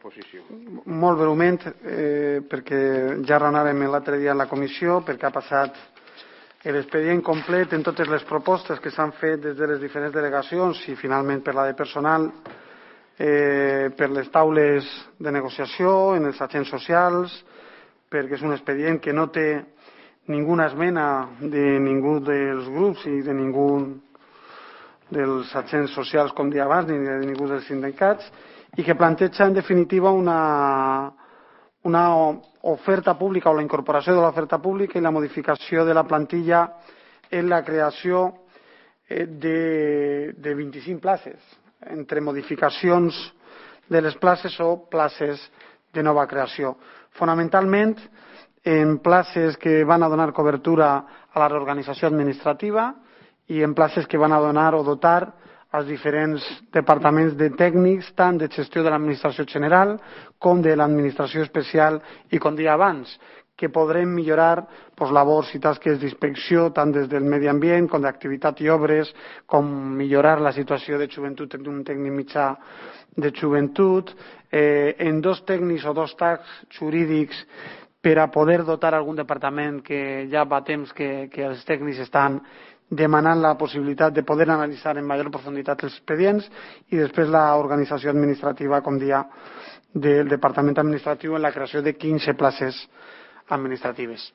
exposició. Molt breument, perquè ja raonàvem l'altre dia en la comissió, perquè ha passat l'expedient complet en totes les propostes que s'han fet des de les diferents delegacions i finalment per la de personal, per les taules de negociació, en els agents socials, perquè és un expedient que no té ninguna esmena de ningú dels grups i de ningú dels agents socials, com deia abans, ni de ningú dels sindicats, i que planteja en definitiva una oferta pública o la incorporació de l'oferta pública i la modificació de la plantilla en la creació de 25 places, entre modificacions de les places o places de nova creació. Fonamentalment en places que van a donar cobertura a la reorganització administrativa i en places que van a donar o dotar als diferents departaments de tècnics, tant de gestió de l'administració general com de l'administració especial i, com deia abans, que podrem millorar labors i tasques d'inspecció tant des del medi ambient com d'activitat i obres, com millorar la situació de joventut en un tècnic mitjà de joventut, en dos tècnics o dos tacs jurídics per a poder dotar algun departament que ja fa temps que els tècnics estan demanant la possibilitat de poder analitzar en major profunditat els expedients i després l'organització administrativa, com deia, del departament administratiu en la creació de 15 places administratives.